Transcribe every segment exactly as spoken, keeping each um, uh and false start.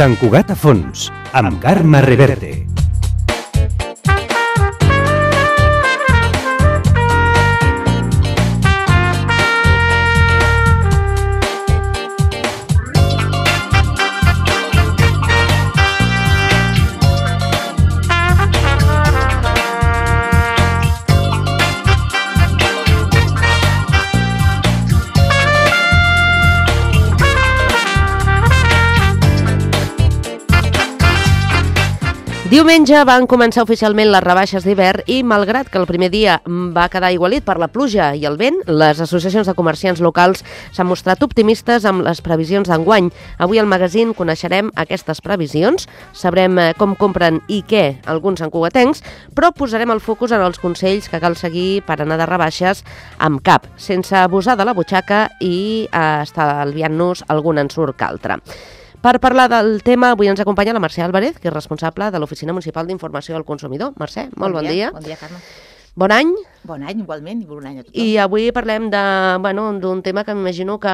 Sant Cugat a fons, amb Carme Reverte. Diumenge van començar oficialment les rebaixes d'hivern i, malgrat que el primer dia va quedar aigualit per la pluja i el vent, les associacions de comerciants locals s'han mostrat optimistes amb les previsions d'enguany. Avui al magazín coneixerem aquestes previsions, sabrem com compren i què alguns santcugatencs, però posarem el focus en els consells que cal seguir per anar de rebaixes amb cap, sense abusar de la butxaca i estalviant-nos algun ensurt que altre. Per parlar del tema, avui ens acompanya la Mercè Álvarez, que és responsable de l'Oficina Municipal d'Informació al Consumidor. Mercè, molt bon dia. Bon dia, Carme. Bon any. Bon any, igualment, i bon any a tothom. I avui parlem de, bueno, d'un tema que m'imagino que...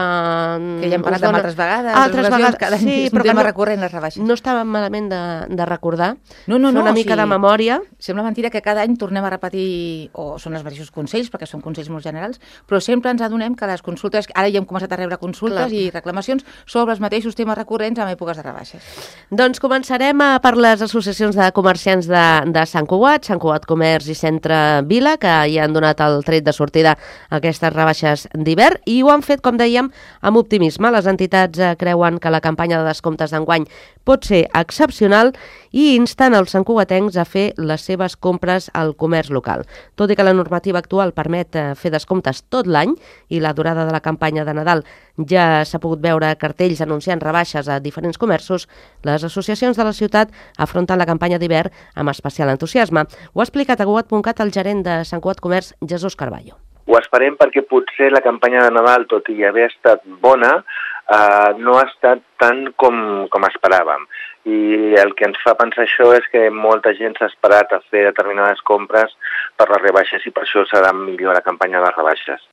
Que ja hem parlat dona... altres vegades, altres vegades, cada any sí, és un no, tema recurrent, les rebaixes. No estava malament de, de recordar, no, no, fer no, una mica sí. de memòria. Sembla mentira que cada any tornem a repetir, o són els mateixos consells, perquè són consells molt generals, però sempre ens adonem que les consultes, ara ja hem començat a rebre consultes Clar. i reclamacions sobre els mateixos temes recurrents en èpoques de rebaixes. Doncs començarem per les associacions de comerciants de, de Sant Cugat, Sant Cugat Comerç i Centre Vila, que ja han donat el tret de sortida a aquestes rebaixes d'hivern i ho han fet, com dèiem, amb optimisme. Les entitats creuen que la campanya de descomptes d'enguany pot ser excepcional i insten els santcugatencs a fer les seves compres al comerç local. Tot i que la normativa actual permet fer descomptes tot l'any i la durada de la campanya de Nadal ja s'ha pogut veure cartells anunciant rebaixes a diferents comerços, les associacions de la ciutat afronten la campanya d'hivern amb especial entusiasme. Ho ha explicat a Cugat punt cat el gerent de Sant Cugat Comerç, Jesús Carballo. Ho esperem perquè potser la campanya de Nadal, tot i haver estat bona, eh, no ha estat tant com, com esperàvem. I el que ens fa pensar això és que molta gent s'ha esperat a fer determinades compres per les rebaixes i per això serà millor la campanya de rebaixes.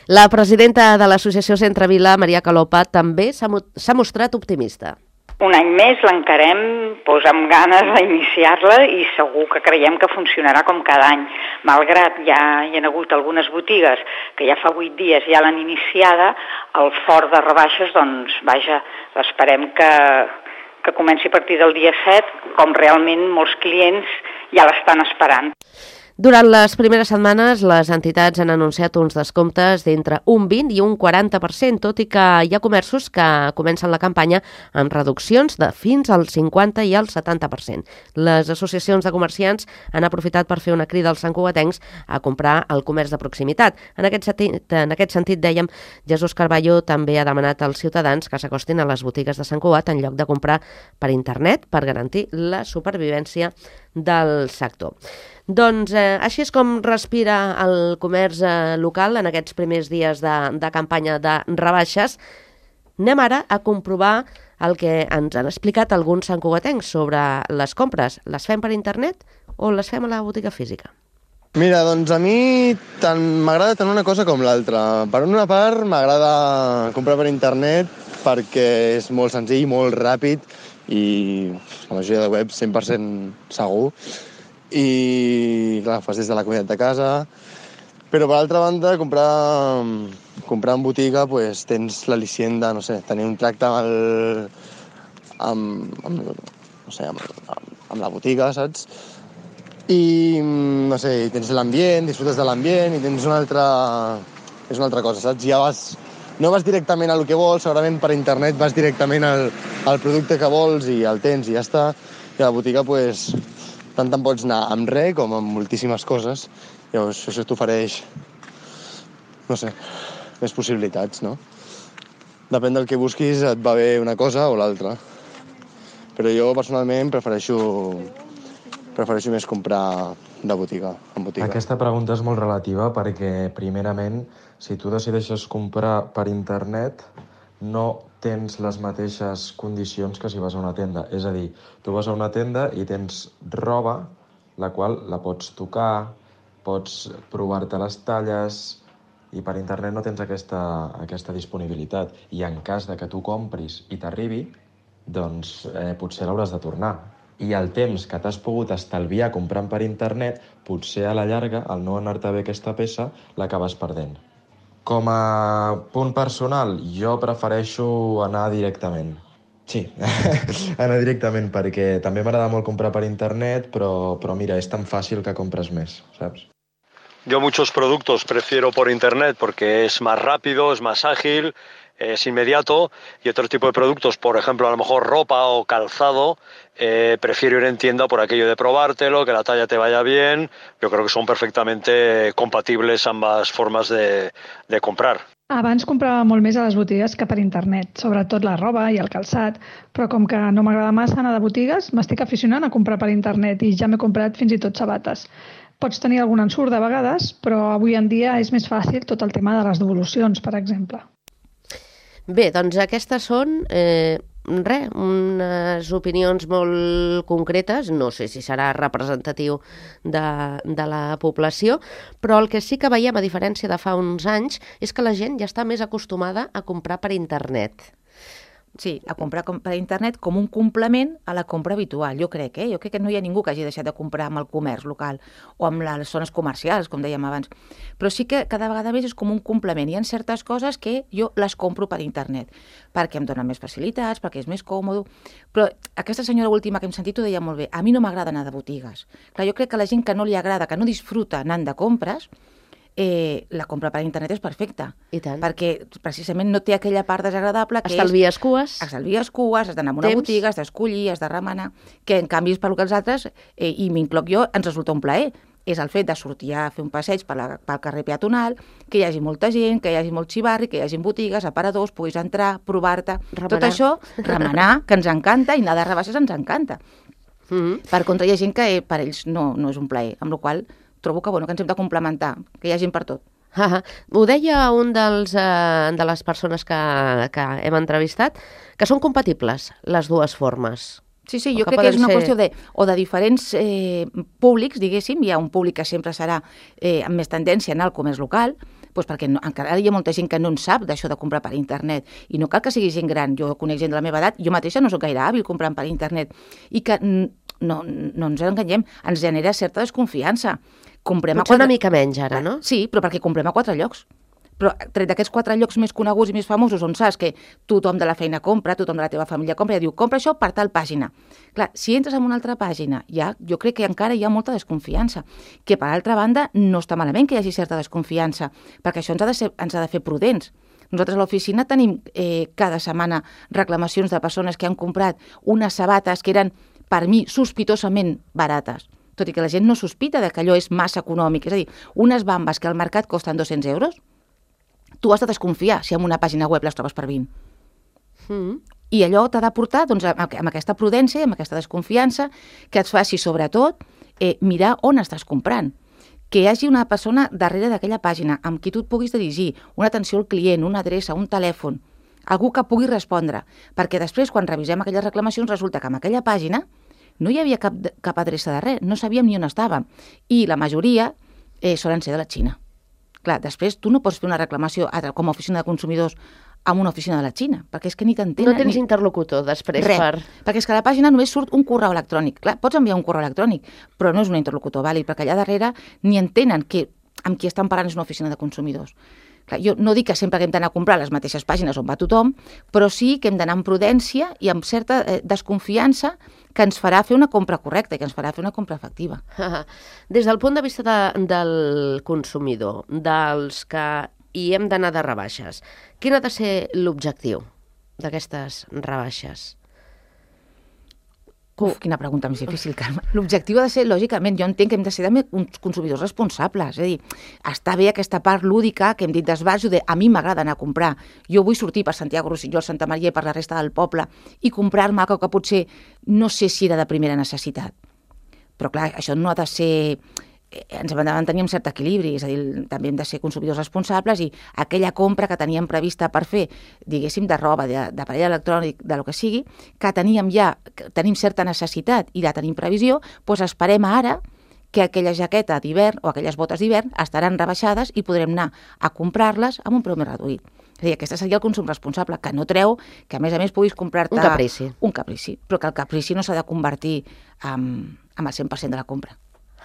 La presidenta de l'associació Centre Vila, Maria Calopa, també s'ha mostrat optimista. Un any més l'encarem doncs, amb ganes d'iniciar-la i segur que creiem que funcionarà com cada any. Malgrat ja hi ha hagut algunes botigues que ja fa vuit dies ja l'han iniciada, el fort de rebaixes, doncs, vaja, esperem que, que comenci a partir del dia set, com realment molts clients ja l'estan esperant. Durant les primeres setmanes, les entitats han anunciat uns descomptes d'entre un vint i un quaranta per cent, tot i que hi ha comerços que comencen la campanya amb reduccions de fins al cinquanta i al setanta per cent. Les associacions de comerciants han aprofitat per fer una crida als santcugatencs a comprar al comerç de proximitat. En aquest sentit, en aquest sentit dèiem, Jesús Carballo també ha demanat als ciutadans que s'acostin a les botigues de Sant Cugat en lloc de comprar per internet per garantir la supervivència del sector. Doncs eh, així és com respira el comerç eh, local en aquests primers dies de, de campanya de rebaixes. Anem ara a comprovar el que ens han explicat alguns santcugatencs sobre les compres. Les fem per internet o les fem a la botiga física? Mira, doncs a mi tant m'agrada tant una cosa com l'altra. Per una part m'agrada comprar per internet perquè és molt senzill, molt ràpid i la majoria de webs cent per cent segur. I clar, fas des de la comoditat de casa, però per altra banda comprar, comprar en botiga pues, tens l'al·licient de, no sé, tenir un tracte amb, el, amb, amb, no sé, amb, amb la botiga, saps? I no sé, tens l'ambient, disfrutes de l'ambient i tens una altra, és una altra cosa, saps? Ja vas, no vas directament al que vols, segurament per internet vas directament al, al producte que vols i el tens i ja està. I a la botiga pues, tant te'n pots anar amb res com amb moltíssimes coses. Llavors, això t'ofereix, no sé, més possibilitats, no? Depèn del que busquis, et va bé una cosa o l'altra. Però jo, personalment, prefereixo, prefereixo més comprar de botiga, en botiga. Aquesta pregunta és molt relativa perquè, primerament, si tu decideixes comprar per internet, no tens les mateixes condicions que si vas a una tenda. És a dir, tu vas a una tenda i tens roba, la qual la pots tocar, pots provar-te les talles, i per internet no tens aquesta, aquesta disponibilitat. I en cas de que tu compris i t'arribi, doncs eh, potser l'hauràs de tornar. I el temps que t'has pogut estalviar comprant per internet, potser a la llarga, al no anar-te bé aquesta peça, l'acabes perdent. Com a punt personal, jo prefereixo anar directament. Sí, anar directament, perquè també m'agrada molt comprar per internet, però, però mira, és tan fàcil que compres més, saps? Yo muchos productos prefiero por internet porque es más rápido, es más ágil, es inmediato, y otro tipo de productos, por ejemplo, a lo mejor ropa o calzado, eh, prefiero ir en tienda por aquello de probártelo, que la talla te vaya bien. Yo creo que son perfectamente compatibles ambas formas de, de comprar. Abans comprava molt més a les botigues que per internet, sobretot la roba i el calçat, però com que no m'agrada massa anar de botigues, m'estic aficionant a comprar per internet i ja m'he comprat fins i tot sabates. Pots tenir algun ensurt de vegades, però avui en dia és més fàcil tot el tema de les devolucions, per exemple. Bé, doncs aquestes són eh, res, unes opinions molt concretes, no sé si serà representatiu de, de la població, però el que sí que veiem, a diferència de fa uns anys, és que la gent ja està més acostumada a comprar per internet. Sí, a comprar per internet com un complement a la compra habitual, jo crec, eh? Jo crec que no hi ha ningú que hagi deixat de comprar amb el comerç local o amb les zones comercials, com dèiem abans. Però sí que cada vegada més és com un complement. Hi ha certes coses que jo les compro per internet, perquè em donen més facilitats, perquè és més còmode. Però aquesta senyora última que hem sentit ho deia molt bé. A mi no m'agrada anar de botigues. Clar, jo crec que la gent que no li agrada, que no disfruta anant de compres, Eh, la compra per internet és perfecta. I tant. Perquè precisament no té aquella part desagradable que estalvies és... cues. Estalvies cues, has d'anar a una Temps. botiga, has d'escollir, has de remenar, que en canvi és per lo que els altres, eh, i m'incloc jo, ens resulta un plaer. És el fet de sortir a fer un passeig per la, pel carrer peatonal, que hi hagi molta gent, que hi hagi molt xivarri, que hi hagi botigues, aparadors, puguis entrar, provar-te... Remenar. Tot això, remenar, que ens encanta, i anar de rebaixes ens encanta. Mm-hmm. Per contra, hi ha gent que eh, per ells no, no és un plaer, amb la qual cosa trobo que, bueno, que ens hem de complementar, que hi ha gent per tot. Ah, ho deia un dels, eh, de les persones que, que hem entrevistat, que són compatibles les dues formes. Sí, sí, jo crec que és una ser... qüestió de, o de diferents eh, públics, diguéssim. Hi ha un públic que sempre serà eh, amb més tendència a anar al comerç local, doncs perquè no, encara hi ha molta gent que no en sap d'això de comprar per internet, i no cal que sigui gent gran. Jo conec gent de la meva edat, jo mateixa no soc gaire hàbil comprant per internet, i que no, no ens enganyem, ens genera certa desconfiança. Comprem Potser a quatre... una mica menys ara, no? Sí, però perquè comprem a quatre llocs. Però tret d'aquests quatre llocs més coneguts i més famosos, on saps que tothom de la feina compra, tothom de la teva família compra, i diu, compra això per tal pàgina. Clar, si entres en una altra pàgina, ja, jo crec que encara hi ha molta desconfiança, que per altra banda no està malament que hi hagi certa desconfiança, perquè això ens ha de, ser, ens ha de fer prudents. Nosaltres a l'oficina tenim eh, cada setmana reclamacions de persones que han comprat unes sabates que eren, per mi, sospitosament barates, tot i que la gent no sospita de que allò és massa econòmic. És a dir, unes bambes que al mercat costen dos-cents euros, tu has de desconfiar si en una pàgina web les trobes per vint. Mm. I allò t'ha de portar doncs, amb aquesta prudència, amb aquesta desconfiança, que et faci, sobretot, eh, mirar on estàs comprant. Que hi hagi una persona darrere d'aquella pàgina amb qui tu et puguis dirigir, una atenció al client, una adreça, un telèfon, algú que pugui respondre, perquè després, quan revisem aquelles reclamacions, resulta que en aquella pàgina no hi havia cap, cap adreça de res, no sabíem ni on estàvem. I la majoria eh, solen ser de la Xina. Clar, després tu no pots fer una reclamació com a oficina de consumidors amb una oficina de la Xina, perquè és que ni t'entenen... No tens ni... interlocutor després Res, per... perquè és que a la pàgina només surt un correu electrònic. Clar, pots enviar un correu electrònic, però no és un interlocutor vàlid, perquè allà darrere ni entenen que amb qui estan parlant és una oficina de consumidors. Clar, jo no dic que sempre que hem d'anar a comprar les mateixes pàgines on va tothom, però sí que hem d'anar amb prudència i amb certa eh, desconfiança que ens farà fer una compra correcta i que ens farà fer una compra efectiva. Des del punt de vista de, del consumidor, dels que hi hem d'anar de rebaixes, quin ha de ser l'objectiu d'aquestes rebaixes? Uf, quina pregunta més difícil, Carme. L'objectiu ha de ser, lògicament, jo entenc que hem de ser també uns consumidors responsables. És a dir, està bé aquesta part lúdica que hem dit d'esbarjo de a mi m'agrada anar a comprar. Jo vull sortir per Santiago Rossinyol, Santa Maria i per la resta del poble i comprar-me algo que potser no sé si era de primera necessitat. Però clar, això no ha de ser... Ens hem de mantenir un cert equilibri, és a dir, també hem de ser consumidors responsables i aquella compra que teníem prevista per fer, diguéssim, de roba, d'aparell electrònic, de lo que sigui, que teníem ja, que tenim certa necessitat i la tenim previsió, doncs esperem ara que aquella jaqueta d'hivern o aquelles botes d'hivern estaran rebaixades i podrem anar a comprar-les amb un preu més reduït. És a dir, aquest seria el consum responsable, que no treu que, a més a més, puguis comprar-te... Un caprici. Un caprici, però que el caprici no s'ha de convertir en, en el cent per cent de la compra.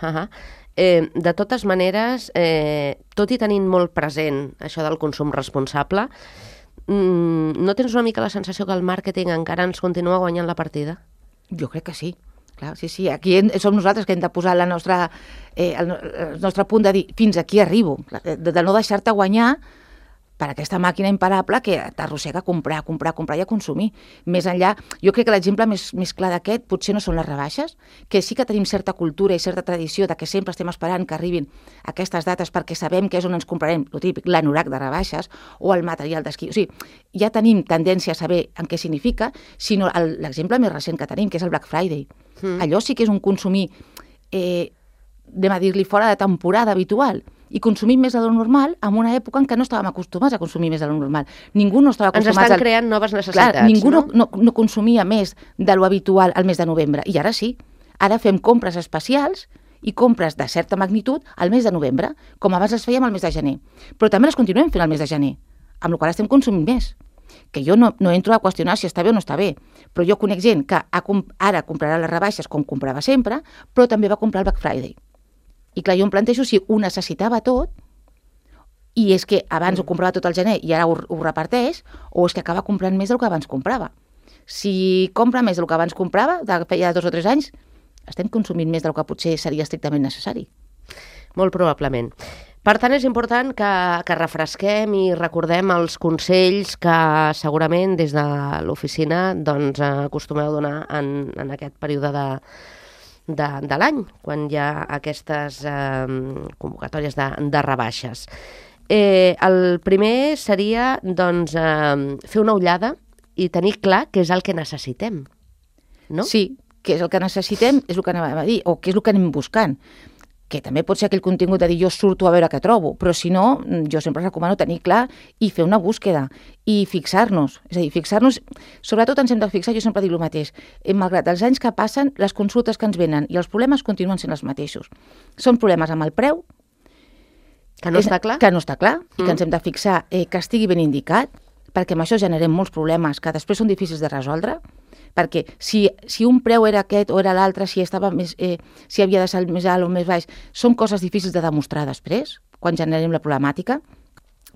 Uh -huh. eh, de totes maneres, eh, tot i tenint molt present això del consum responsable, mm, no tens una mica la sensació que el màrqueting encara ens continua guanyant la partida? Jo crec que sí. Clar, sí, sí, aquí hem, som nosaltres que hem de posar la nostra, eh, el, el nostre punt de dir fins aquí arribo, de, de no deixar-te guanyar per aquesta màquina imparable que t'arrossega a comprar, a comprar, a comprar i a consumir. Més enllà, jo crec que l'exemple més, més clar d'aquest potser no són les rebaixes, que sí que tenim certa cultura i certa tradició de que sempre estem esperant que arribin aquestes dates perquè sabem que és on ens comprarem, el típic, l'anorac de rebaixes o el material d'esquí. O sigui, ja tenim tendència a saber en què significa, sinó el, l'exemple més recent que tenim, que és el Black Friday. Mm. Allò sí que és un consumir, eh, anem a dir-li, fora de temporada habitual, i consumim més de lo normal en una època en què no estàvem acostumats a consumir més de lo normal. Ningú no estava acostumat... Ens estan al... creant noves necessitats, Clar, ningú no? no, no consumia més de lo habitual al mes de novembre, i ara sí. Ara fem compres especials i compres de certa magnitud al mes de novembre, com abans les fèiem al mes de gener. Però també les continuem fent al mes de gener, amb la qual estem consumint més. Que jo no, no entro a qüestionar si està bé o no està bé, però jo conec gent que ha, ara comprarà les rebaixes com comprava sempre, però també va comprar el Black Friday. I clar, jo em plantejo si ho necessitava tot, i és que abans ho comprava tot el gener i ara ho, ho reparteix, o és que acaba comprant més del que abans comprava. Si compra més del que abans comprava, de feia dos o tres anys, estem consumint més del que potser seria estrictament necessari. Molt probablement. Per tant, és important que, que refresquem i recordem els consells que segurament des de l'oficina doncs, acostumeu a donar en, en aquest període de, de, de l'any, quan hi ha aquestes eh, convocatòries de, de rebaixes. Eh, el primer seria doncs, eh, fer una ullada i tenir clar què és el que necessitem, no? Sí, què és el que necessitem, és el que anem a dir, o què és el que anem buscant. Que també pot ser aquell contingut de dir jo surto a veure què trobo, però si no, jo sempre recomano tenir clar i fer una búsqueda i fixar-nos. És a dir, fixar-nos, sobretot ens hem de fixar, jo sempre dic el mateix, malgrat els anys que passen, les consultes que ens venen i els problemes continuen sent els mateixos. Són problemes amb el preu, que no és, està clar, que no està clar mm. i que ens hem de fixar eh, que estigui ben indicat, perquè amb això generem molts problemes que després són difícils de resoldre, perquè si, si un preu era aquest o era l'altre, si estava més, eh, si havia de ser més alt o més baix, són coses difícils de demostrar després, quan generem la problemàtica.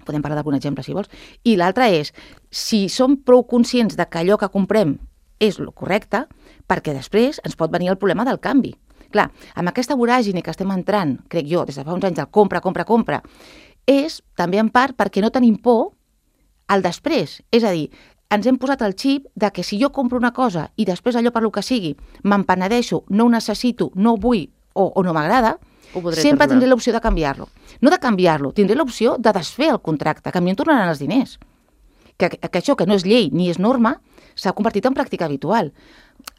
Podem parlar d'algun exemple, si vols. I l'altre és, si som prou conscients de que allò que comprem és el correcte, perquè després ens pot venir el problema del canvi. Clar, amb aquesta voràgine que estem entrant, crec jo, des de fa uns anys del compra, compra, compra, és també en part perquè no tenim por al després. És a dir, ens hem posat el xip de que si jo compro una cosa i després allò per lo que sigui me'n penedeixo, no ho necessito, no ho vull o, o no m'agrada, sempre tornar. Tindré l'opció de canviar-lo. No de canviar-lo, tindré l'opció de desfer el contracte, que a mi em tornaran els diners. Que, que això, que no és llei ni és norma, s'ha convertit en pràctica habitual.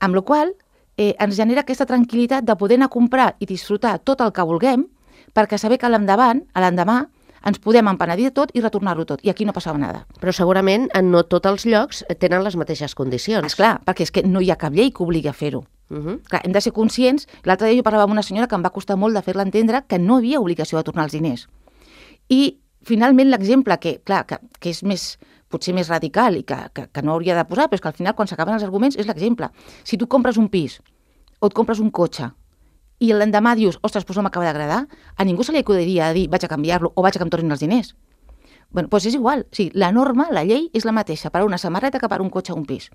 Amb la qual cosa eh, ens genera aquesta tranquil·litat de poder anar a comprar i disfrutar tot el que vulguem, perquè saber que a l'endavant, a l'endemà, ens podem empenedir tot i retornar-ho tot. I aquí no passava nada. Però segurament no tots els llocs tenen les mateixes condicions. Esclar, perquè és que no hi ha cap llei que obligui a fer-ho. Uh-huh. Clar, hem de ser conscients. L'altre dia jo parlava amb una senyora que em va costar molt de fer-la entendre que no hi havia obligació de tornar els diners. I finalment l'exemple, que clar, que, que és més, potser més radical i que, que, que no hauria de posar, però és que al final quan s'acaben els arguments és l'exemple. Si tu compres un pis o et compres un cotxe i l'endemà dius, ostres, doncs no m'acaba d'agradar, a ningú se li acudiria a dir vaig a canviar-lo o vaig a que em tornin els diners. Bueno, doncs és igual. O sigui, la norma, la llei, és la mateixa per a una samarreta que per a un cotxe o un pis.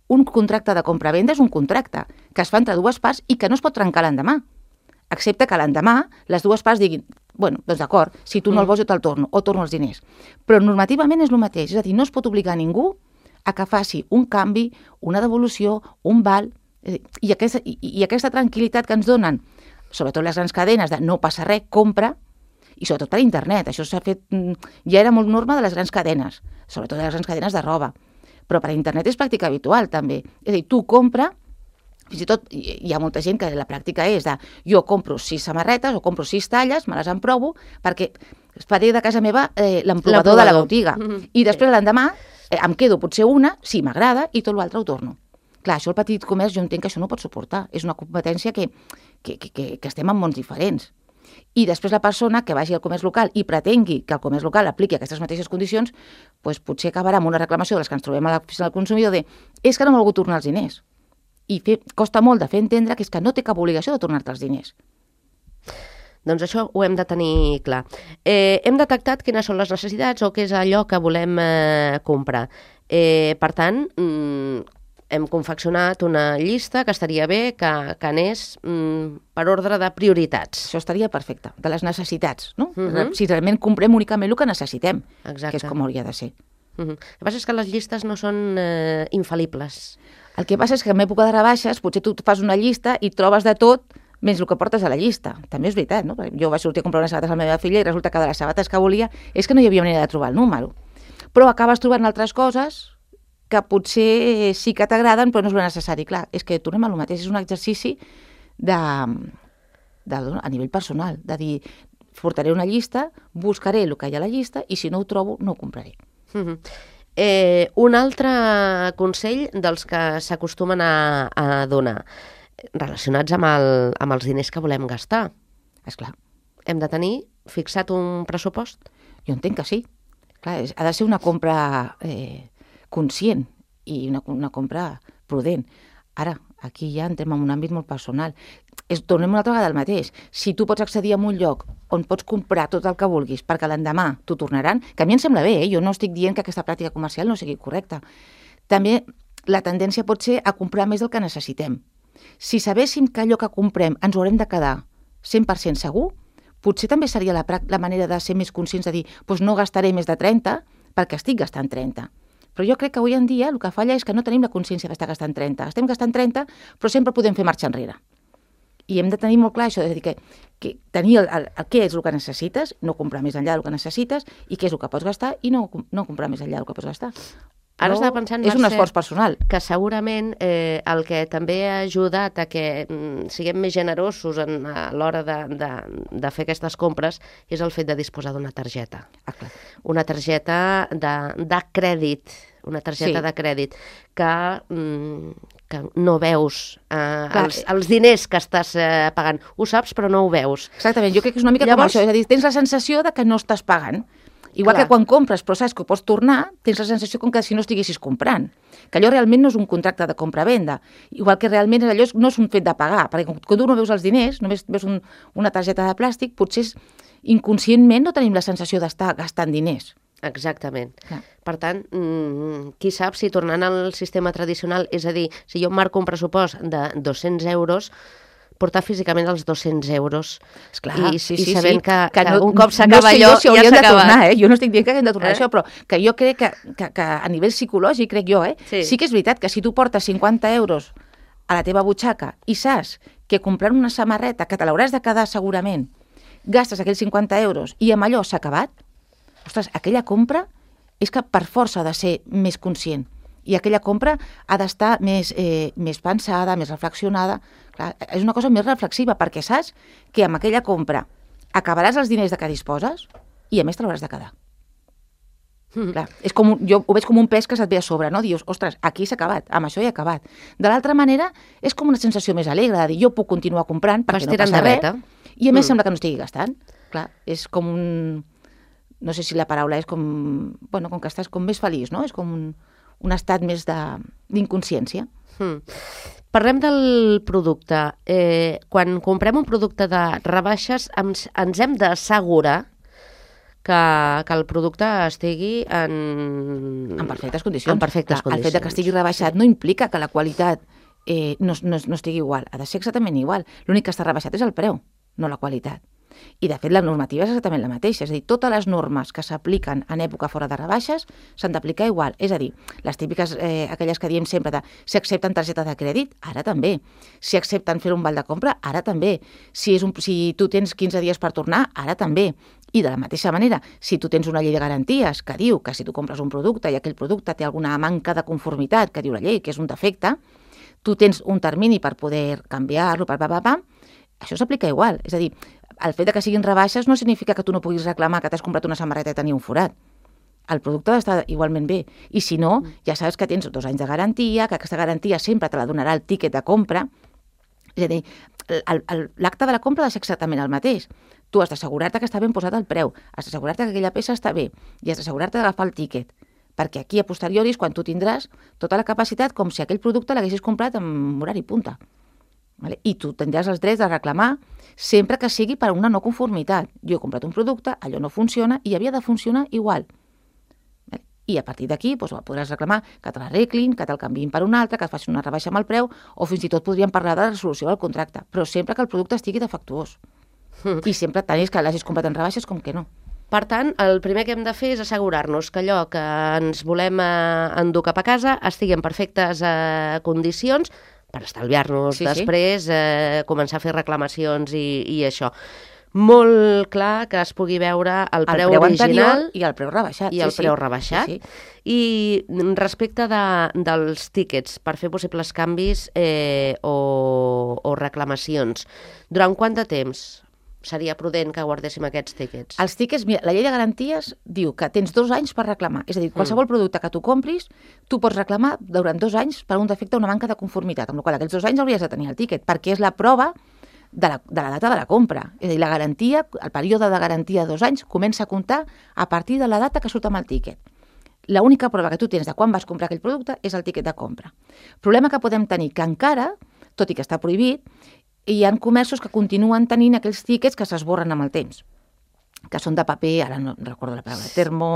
Un contracte de compra-venda és un contracte que es fa entre dues parts i que no es pot trencar l'endemà. Excepte que l'endemà les dues parts diguin, bueno, doncs d'acord, si tu no el vols jo te'l torno o torno els diners. Però normativament és el mateix. És a dir, no es pot obligar a ningú a que faci un canvi, una devolució, un val. I aquesta, i, i aquesta tranquil·litat que ens donen, sobretot les grans cadenes de no passa res, compra, i sobretot per internet, això s'ha fet, ja era molt norma de les grans cadenes, sobretot de les grans cadenes de roba, però per internet és pràctica habitual també, és a dir, tu compra, fins i tot hi ha molta gent que la pràctica és de jo compro sis samarretes o compro sis talles, me les emprovo, perquè faré de casa meva eh, l'emprovador de la botiga, mm-hmm. i després l'endemà eh, em quedo potser una, si m'agrada, i tot l'altre ho torno. Clar, això el petit comerç jo entenc que això no pot suportar. És una competència que, que, que, que estem en mons diferents. i després la persona que vagi al comerç local i pretengui que el comerç local apliqui aquestes mateixes condicions, doncs potser acabarà amb una reclamació de les que ens trobem a l'oficina del consumidor de és que no m'ha volgut tornar els diners. I fer, costa molt de fer entendre que és que no té cap obligació de tornar-te els diners. Doncs això ho hem de tenir clar. Eh, hem detectat quines són les necessitats o què és allò que volem eh, comprar. Eh, per tant, mm, hem confeccionat una llista que estaria bé que, que anés mm, per ordre de prioritats. Això estaria perfecte, de les necessitats, no? Uh -huh. Si realment comprem únicament el que necessitem, Exacte. que és com hauria de ser. Uh -huh. El que passa és que les llistes no són eh, infal·libles. El que passa és que en època de rebaixes potser tu fas una llista i trobes de tot menys el que portes a la llista. També és veritat, no? Jo vaig sortir a comprar unes sabates a la meva filla i resulta que de les sabates que volia és que no hi havia manera de trobar el número. Però acabes trobant altres coses que potser sí que t'agraden, però no és lo necessari. Clar, és que tornem a lo mateix, és un exercici de, de, a nivell personal, de dir, portaré una llista, buscaré el que hi ha a la llista i si no ho trobo, no ho compraré. Uh-huh. Eh, un altre consell dels que s'acostumen a, a donar, relacionats amb, el, amb els diners que volem gastar. Esclar. Hem de tenir fixat un pressupost? Jo entenc que sí. Clar, és, ha de ser una compra eh, conscient i una, una compra prudent. Ara, aquí ja entrem en un àmbit molt personal. És, tornem una altra vegada al mateix. Si tu pots accedir a un lloc on pots comprar tot el que vulguis perquè l'endemà t'ho tornaran, que a mi em sembla bé, eh? Jo no estic dient que aquesta pràctica comercial no sigui correcta. També la tendència pot ser a comprar més del que necessitem. Si sabéssim que allò que comprem ens ho haurem de quedar cent per cent segur, potser també seria la, la manera de ser més conscients de dir doncs no gastaré més de trenta perquè estic gastant trenta. Però jo crec que avui en dia el que falla és que no tenim la consciència d'estar gastant trenta. Estem gastant trenta, però sempre podem fer marxa enrere. I hem de tenir molt clar això, és a dir, que, que tenir el, el, el què és el que necessites, no comprar més enllà del que necessites, i què és el que pots gastar, i no, no comprar més enllà del que pots gastar. Ara no, estava pensant, és un Mercè, esforç personal. Que segurament eh, el que també ha ajudat a que mm, siguem més generosos en, a l'hora de, de, de fer aquestes compres és el fet de disposar d'una targeta. Ah, clar. Una targeta de, de crèdit, una targeta Sí. de crèdit que, mm, que no veus eh, Clar. els, els diners que estàs eh, pagant. Ho saps, però no ho veus. Exactament, jo crec que és una mica Llavors- com això, és a dir, tens la sensació de que no estàs pagant. Igual Clar. que quan compres, però saps que ho pots tornar, tens la sensació com que si no estiguessis comprant. Que allò realment no és un contracte de compra-venda. Igual que realment allò és- no és un fet de pagar, perquè quan tu no veus els diners, només veus un, una targeta de plàstic, potser és, inconscientment no tenim la sensació d'estar gastant diners. Exactament. Clar. Per tant, mm, qui sap si tornant al sistema tradicional, és a dir, si jo em marco un pressupost de dos-cents euros, portar físicament els dos-cents euros Esclar, i, sí, i sí, sabent sí. que, que, no, un cop no s'acaba sé allò, jo si ja hauríem s'ha de acabat. tornar, eh? Jo no estic dient que haguem de tornar Eh? això, però que jo crec que, que, que a nivell psicològic, crec jo, eh? Sí. sí que és veritat que si tu portes cinquanta euros a la teva butxaca i saps que comprant una samarreta, que te l'hauràs de quedar segurament, gastes aquells cinquanta euros i amb allò s'ha acabat, ostres, aquella compra és que per força ha de ser més conscient. I aquella compra ha d'estar més, eh, més pensada, més reflexionada. Clar, és una cosa més reflexiva, perquè saps que amb aquella compra acabaràs els diners de què disposes i a més te l'hauràs de quedar. Mm. Clar, és com, un- jo ho veig com un pes que se't ve a sobre, no? Dius, ostres, aquí s'ha acabat, amb això he acabat. De l'altra manera, és com una sensació més alegre, de dir, jo puc continuar comprant Vas perquè no tirant passa de res, veta. i a més Mm. sembla que no estigui gastant. Clar, és com un... No sé si la paraula és com... Bueno, com que estàs com més feliç, no? És com un, un estat més de- d'inconsciència. Mm. Parlem del producte. Eh, quan comprem un producte de rebaixes, ens, ens hem d'assegurar que, que el producte estigui en... En perfectes condicions. En perfectes Clar, el fet de que condicions. estigui rebaixat no implica que la qualitat eh, no, no, no estigui igual. Ha de ser exactament igual. L'únic que està rebaixat és el preu, no la qualitat. I, de fet, la normativa és exactament la mateixa. És a dir, totes les normes que s'apliquen en època fora de rebaixes s'han d'aplicar igual. És a dir, les típiques, eh, aquelles que diem sempre de si accepten targeta de crèdit, ara també. Si accepten fer un val de compra, ara també. Si, és un, si tu tens quinze dies per tornar, ara també. I de la mateixa manera, si tu tens una llei de garanties que diu que si tu compres un producte i aquell producte té alguna manca de conformitat, que diu la llei, que és un defecte, tu tens un termini per poder canviar-lo, per pa, pa, pa, això s'aplica igual. És a dir, el fet de que siguin rebaixes no significa que tu no puguis reclamar que t'has comprat una samarreta i tenia un forat. El producte ha d'estar igualment bé. I si no, ja saps que tens dos anys de garantia, que aquesta garantia sempre te la donarà el tiquet de compra. És És a dir, l'acte de la compra ha de ser exactament el mateix. Tu has d'assegurar-te que està ben posat el preu, has d'assegurar-te que aquella peça està bé i has d'assegurar-te d'agafar el tíquet, perquè aquí a posteriori és quan tu tindràs tota la capacitat com si aquell producte l'haguessis comprat en horari punta. Vale? I tu tindràs els drets de reclamar sempre que sigui per una no conformitat. Jo he comprat un producte, allò no funciona i havia de funcionar igual. Vale? I a partir d'aquí doncs, podràs reclamar que te l'arreglin, que te'l canviïn per un altre, que et facin una rebaixa amb el preu o fins i tot podríem parlar de la resolució del contracte, però sempre que el producte estigui defectuós. Mm. I sempre tant és que l'hagis comprat en rebaixes com que no. Per tant, el primer que hem de fer és assegurar-nos que allò que ens volem eh, endur cap a casa estigui en perfectes eh, condicions per estalviar-nos sí, després, sí. Eh, començar a fer reclamacions i, i això. Molt clar que es pugui veure el, el preu, preu original i el preu rebaixat. I el sí, preu sí. rebaixat. Sí, sí. I respecte de, dels tíquets per fer possibles canvis eh, o, o reclamacions, durant quant de temps seria prudent que guardéssim aquests tíquets? Els tíquets, mira, la llei de garanties diu que tens dos anys per reclamar. És a dir, qualsevol mm. producte que tu compris, tu pots reclamar durant dos anys per un defecte o una manca de conformitat, amb la qual aquests dos anys hauries de tenir el tíquet, perquè és la prova de la, de la data de la compra. És a dir, la garantia, el període de garantia de dos anys comença a comptar a partir de la data que surt amb el tíquet. L'única prova que tu tens de quan vas comprar aquell producte és el tíquet de compra. El problema que podem tenir que encara, tot i que està prohibit, hi ha comerços que continuen tenint aquells tíquets que s'esborren amb el temps, que són de paper, ara no recordo la paraula, termo...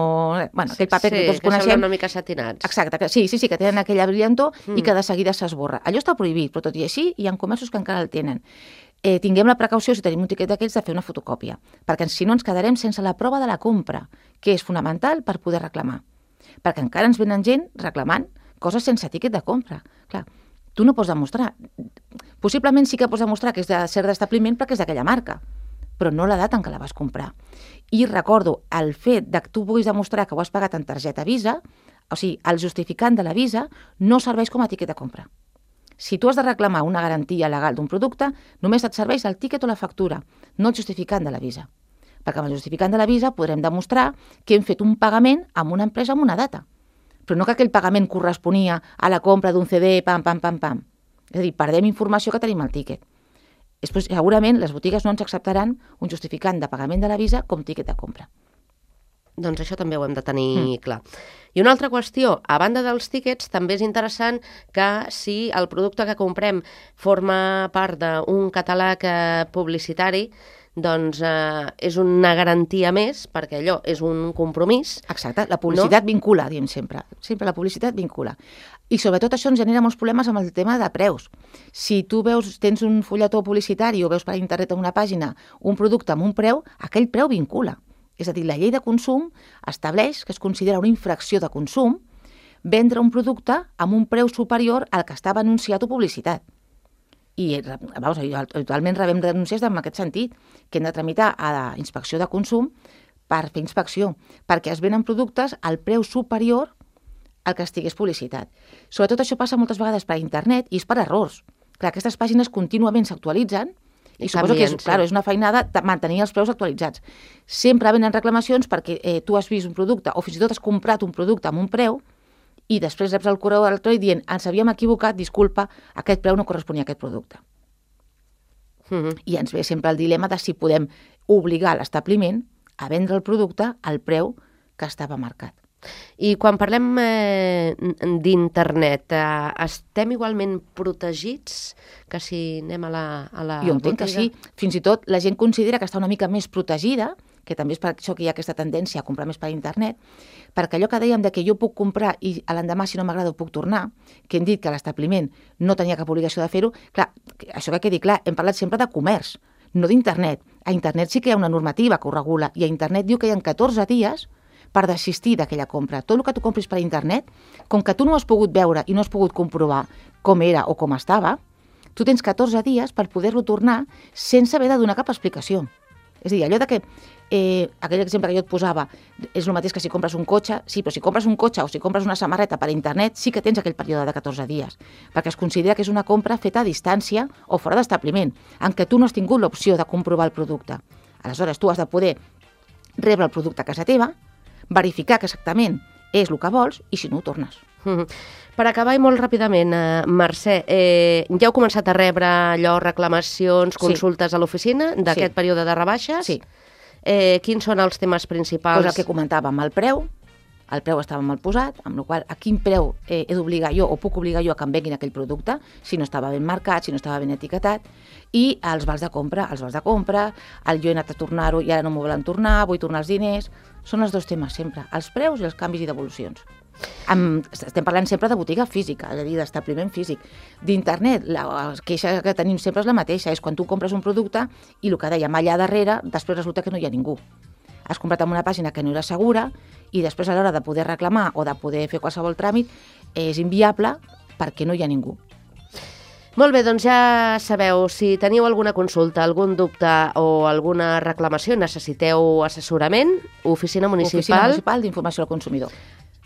Bueno, aquell paper sí, que tots que coneixem. semblen una mica satinats. Exacte, que, sí, sí, sí, que tenen aquella brillantor mm. i que de seguida s'esborra. Allò està prohibit, però tot i així hi ha comerços que encara el tenen. Eh, tinguem la precaució, si tenim un tiquet d'aquells, de fer una fotocòpia, perquè si no ens quedarem sense la prova de la compra, que és fonamental per poder reclamar. Perquè encara ens venen gent reclamant coses sense tiquet de compra. Clar, tu no pots demostrar. Possiblement sí que pots demostrar que és de cert d'establiment perquè és d'aquella marca, però no la data en què la vas comprar. I recordo, el fet de que tu puguis demostrar que ho has pagat en targeta Visa, o sigui, el justificant de la Visa no serveix com a tiquet de compra. Si tu has de reclamar una garantia legal d'un producte, només et serveix el tiquet o la factura, no el justificant de la Visa. Perquè amb el justificant de la Visa podrem demostrar que hem fet un pagament amb una empresa amb una data, però no que aquell pagament corresponia a la compra d'un C D, pam, pam, pam, pam. És a dir, perdem informació que tenim al tíquet. Després, segurament les botigues no ens acceptaran un justificant de pagament de la Visa com tíquet de compra. Doncs això també ho hem de tenir mm. clar. I una altra qüestió, a banda dels tíquets, també és interessant que si el producte que comprem forma part d'un catàleg publicitari, doncs eh, és una garantia més, perquè allò és un compromís. Exacte, la publicitat no? vincula, diem sempre. Sempre la publicitat vincula. I sobretot això ens genera molts problemes amb el tema de preus. Si tu veus, tens un fulletó publicitari o veus per internet en una pàgina un producte amb un preu, aquell preu vincula. És a dir, la llei de consum estableix que es considera una infracció de consum vendre un producte amb un preu superior al que estava anunciat o publicitat. I vamos, actualment rebem denúncies en aquest sentit, que hem de tramitar a la inspecció de consum per fer inspecció, perquè es venen productes al preu superior al que estigués publicitat. Sobretot això passa moltes vegades per internet i és per errors. Clar, aquestes pàgines contínuament s'actualitzen i suposo que és, sí. claro, és una feinada de mantenir els preus actualitzats. Sempre venen reclamacions perquè eh, tu has vist un producte o fins i tot has comprat un producte amb un preu i després reps el correu electrònic dient ens havíem equivocat, disculpa, aquest preu no corresponia a aquest producte. Mm-hmm. I ens ve sempre el dilema de si podem obligar l'establiment a vendre el producte al preu que estava marcat. I quan parlem eh, d'internet, eh, estem igualment protegits que si anem a la, a la jo entenc botiga? Que sí. Fins i tot la gent considera que està una mica més protegida, que també és per això que hi ha aquesta tendència a comprar més per internet, perquè allò que dèiem de que jo puc comprar i a l'endemà si no m'agrada ho puc tornar, que hem dit que l'establiment no tenia cap obligació de fer-ho, clar, això que quedi clar, hem parlat sempre de comerç, no d'internet. A internet sí que hi ha una normativa que ho regula i a internet diu que hi ha catorze dies per desistir d'aquella compra. Tot el que tu compris per internet, com que tu no has pogut veure i no has pogut comprovar com era o com estava, tu tens catorze dies per poder-lo tornar sense haver de donar cap explicació. És a dir, allò de que, eh, aquell exemple que jo et posava, és el mateix que si compres un cotxe, sí, però si compres un cotxe o si compres una samarreta per internet, sí que tens aquell període de catorze dies, perquè es considera que és una compra feta a distància o fora d'establiment, en què tu no has tingut l'opció de comprovar el producte. Aleshores, tu has de poder rebre el producte a casa teva, verificar que exactament és el que vols i si no ho tornes. Mm-hmm. Per acabar i molt ràpidament, eh, Mercè, eh, ja heu començat a rebre allò, reclamacions, consultes sí. a l'oficina d'aquest sí. període de rebaixes? Sí. Eh, quins són els temes principals? Pues el que comentàvem, el preu, el preu estava mal posat, amb la qual cosa a quin preu eh, he d'obligar jo o puc obligar jo a que em venguin aquell producte, si no estava ben marcat, si no estava ben etiquetat, i els vals de compra, els vals de compra, el jo he anat a tornar-ho i ara no m'ho volen tornar, vull tornar els diners, són els dos temes sempre, els preus i els canvis i devolucions. Amb, estem parlant sempre de botiga física, és a dir, d'establiment físic. D'internet, la queixa que tenim sempre és la mateixa, és quan tu compres un producte i el que dèiem allà darrere, després resulta que no hi ha ningú. Has comprat en una pàgina que no era segura i després a l'hora de poder reclamar o de poder fer qualsevol tràmit és inviable perquè no hi ha ningú. Molt bé, doncs ja sabeu, si teniu alguna consulta, algun dubte o alguna reclamació, necessiteu assessorament, Oficina Municipal... Oficina Municipal d'Informació al Consumidor.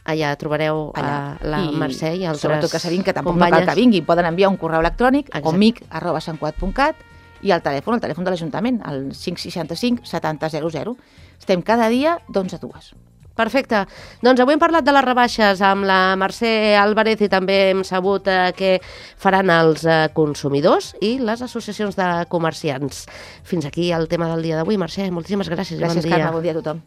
Allà trobareu Allà. A la I, Mercè i altres sobretot que sabin que tampoc companyes. No cal que vinguin, poden enviar un correu electrònic o mic arroba santcugat punt cat i el telèfon, el telèfon de l'Ajuntament, el cinc seixanta-cinc setanta zero zero. Estem cada dia d'onze a dues. Perfecte. Doncs avui hem parlat de les rebaixes amb la Mercè Álvarez i també hem sabut eh, què faran els eh, consumidors i les associacions de comerciants. Fins aquí el tema del dia d'avui. Mercè, moltíssimes gràcies. Gràcies, bon dia. Carme. Bon dia a tothom.